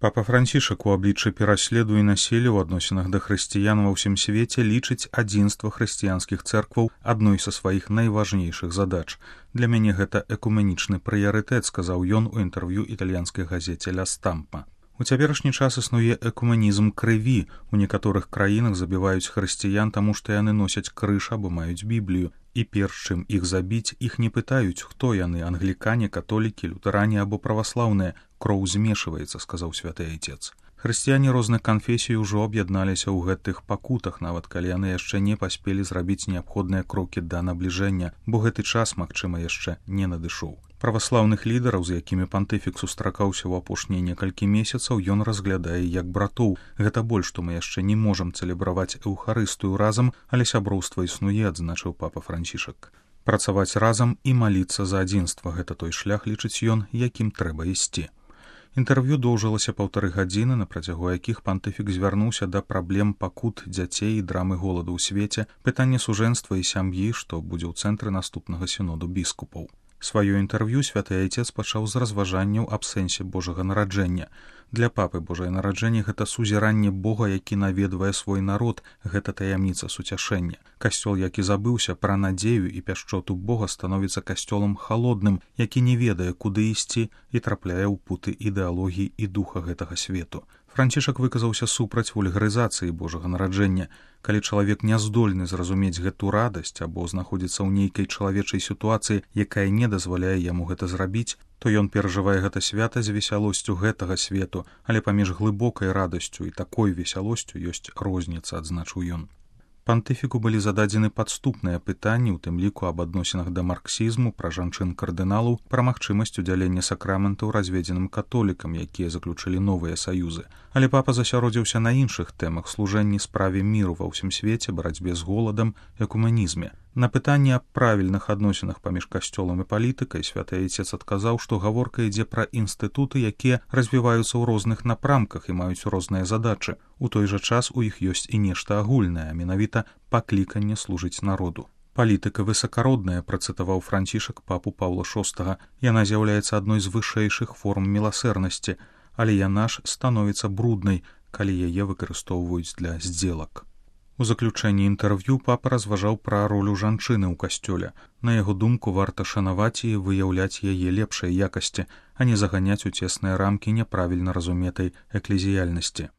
Папа Францішак у абліччы пераследу і насілля ў адносінах да хрысціян ва ўсім свеце лічыць адзінства хрысціянскіх цэркваў адной са сваіх найважнейшых задач. Для мяне гэта экуменічны прыярытэт, сказаў ён у інтэрв'ю італьянскай газеце «Ля Стампа». У цяперашні час існуе экуменізм крыві. У некаторых краінах забіваюць хрысціян, таму што яны носяць крыж або маюць Біблію. І перш чым іх забіць, іх не пытаюць, хто яны, англікане, католікі, лютаране або праваслаўныя. Кроў змешваецца, сказаў святы айцец. Хрысціяне розных канфесій ужо аб'ядналіся ў гэтых пакутах, нават калі яны яшчэ не паспелі зрабіць неабходныя крокі да набліжэння, бо гэты час, магчыма, яшчэ не надышоў. Праваслаўных лідараў, з якімі пантыфік сустракаўся ў апошнія некалькі месяцаў, ён разглядае як братоў. Гэта боль, што мы яшчэ не можам цэлебраваць эўхарыстыю разам, але сяброўства існуе, адзначыў папа Францішак. Працаваць разам і маліцца за адзінства – гэта той шлях, лічыць ён, якім трэба ісці. Інтэрв'ю доўжылася 1,5 гадзіны, на працягу якіх пантыфік звярнуўся да праблем пакут дзяцей і драмы голаду ў свеце, пытання сужэнства і сям'і, што будзе ў цэнтры наступнага сіноду біскупаў. Сваё інтэрв'ю святы айцец пачаў з разважанняў аб сэнсе Божага нараджэння. Для папы Божае нараджэнне – гэта сузіранне Бога, які наведвае свой народ, гэта таямніца суцяшэння. Касцёл, які забыўся пра надзею і пяшчоту Бога, становіцца касцёлам халодным, які не ведае, куды ісці і трапляе ў путы ідэалогіі і духа гэтага свету. Францішак выказаўся супраць вульгарызацыі Божага нараджэння. Калі чалавек не здольны зразумець гэту радасць або знаходзіцца ў нейкай чалавечай сітуацыі, якая не дазваляе яму гэта зрабіць, то ён перажывае гэта свята з весялосцю гэтага свету, але паміж глыбокай радасцю і такой весялосцю ёсць розніца, адзначыў ён. Пантыфіку былі зададзены падступныя пытанні, у тым ліку аб адносінах да марксізму, пра жанчын-кардыналаў, пра магчымасць удзялення сакраментаў разведзеным католікам, якія заключылі новыя саюзы. Але папа засяродзіўся на іншых тэмах: служэнні справе міру ва ўсім свеце, барацьбе з голадам, экуменізме. На пытанне аб правільных адносінах паміж касцёлам і палітыкай святы айцец адказаў, што гаворка ідзе пра інстытуты, якія развіваюцца ў розных напрамках і маюць розныя задачы. У той жа час у іх ёсць і нешта агульнае, а менавіта пакліканне служыць народу. Палітыка высакародная, працытаваў Францішак папу Паўла VI. Яна з'яўляецца адной з вышэйшых форм міласэрнасці, але яна ж становіцца бруднай, калі яе выкарыстоўваюць для здзелак. У заключэнні інтэрв'ю папа разважаў пра ролю жанчыны ў касцёле. На яго думку, варта шанаваць і выяўляць яе лепшай якасці, а не заганяць у цесныя рамкі няправільна разуметай эклезіяльнасці.